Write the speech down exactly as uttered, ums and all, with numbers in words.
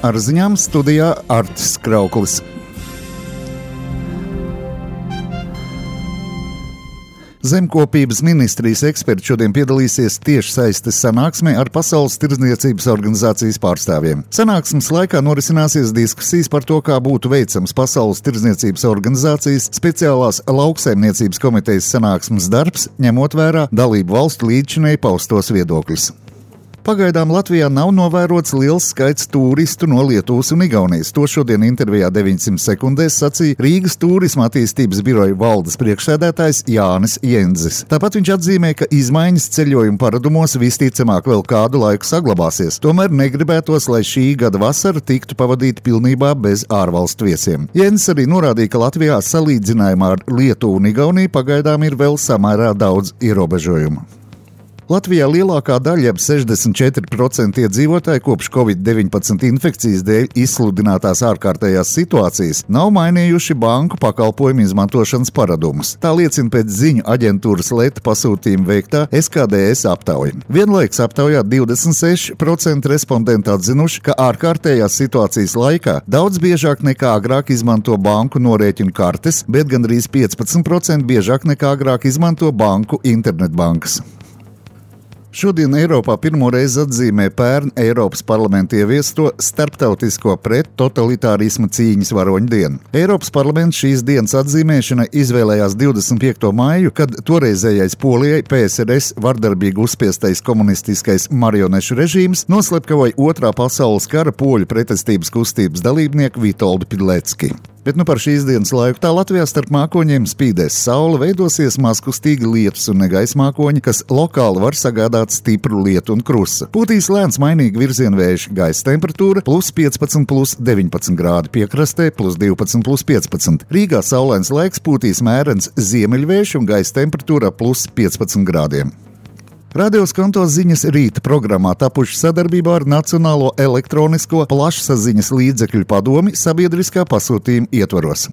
ar ziņām studijā Artis Krauklis. Zemkopības ministrijas eksperti šodien piedalīsies tiešsaistes sanāksmē ar Pasaules tirdzniecības organizācijas pārstāvjiem. Sanāksmes laikā norisināsies diskusijas par to, kā būtu veicams Pasaules tirdzniecības organizācijas speciālās lauksaimniecības komitejas sanāksmes darbs, ņemot vērā dalību valstu līdzšinēji paustos viedokļus. Pagaidām Latvijā nav novērots liels skaits tūristu no Lietuvas un Igaunijas. To šodien intervijā deviņsimt sekundēs sacīja Rīgas turisma attīstības biroja valdes priekšsēdētājs Jānis Jenzis. Tāpat viņš atzīmē, ka izmaiņas ceļojumu paradumos visticamāk vēl kādu laiku saglabāsies. Tomēr negribētos, lai šī gada vasara tiktu pavadīta pilnībā bez ārvalstu viesiem. Jenzis arī norādīja, ka Latvijā salīdzinājumā ar Lietuvu un Igauniju pagaidām ir vēl samērā daudz ierobežojumu. Latvijā lielākā daļa, ap sešdesmit četri procenti iedzīvotāji kopš covid deviņpadsmit infekcijas dēļ izsludinātās ārkārtējās situācijas, nav mainījuši banku pakalpojumu izmantošanas paradumus. Tā liecina pēc ziņu aģentūras Leta pasūtījuma veiktā S K D S aptauja. Vienlaikus aptaujā divdesmit seši procenti respondentu atzinuši, ka ārkārtējās situācijas laikā daudz biežāk nekā agrāk izmanto banku norēķinu kartes, bet gandrīz piecpadsmit procenti biežāk nekā agrāk izmanto banku internetbankas. Šodien Eiropā pirmo reizi atzīmē pērn Eiropas parlamenta ieviesto starptautisko pret-totalitārisma cīņas varoņu dienu. Eiropas parlaments šīs dienas atzīmēšana izvēlējās divdesmit piekto maiju, kad toreizējais Polijai P S R S vardarbīgi uzspiestais komunistiskais marionešu režīms noslepkavoja otrā pasaules kara poļu pretestības kustības dalībnieku Vitoldu Pidlecki. Bet nu par šīs dienas laiku tā Latvijā starp mākoņiem spīdēs saule, veidosies mazkustīgi lietus un negaisa mākoņi, kas lokāli var sagādāt stipru lietu un krusa. Pūtīs lēns mainīgi virziena vējš, gaisa temperatūra plus piecpadsmit plus deviņpadsmit grādi, piekrastē plus divpadsmit plus piecpadsmit. Rīgā saulains laiks, pūtīs mērens ziemeļvējš un gaisa temperatūra plus piecpadsmit grādiem. Radio Skanto ziņas rīta programmā tapuši sadarbībā ar Nacionālo elektronisko plašsaziņas līdzekļu padomi sabiedriskā pasūtījuma ietvaros.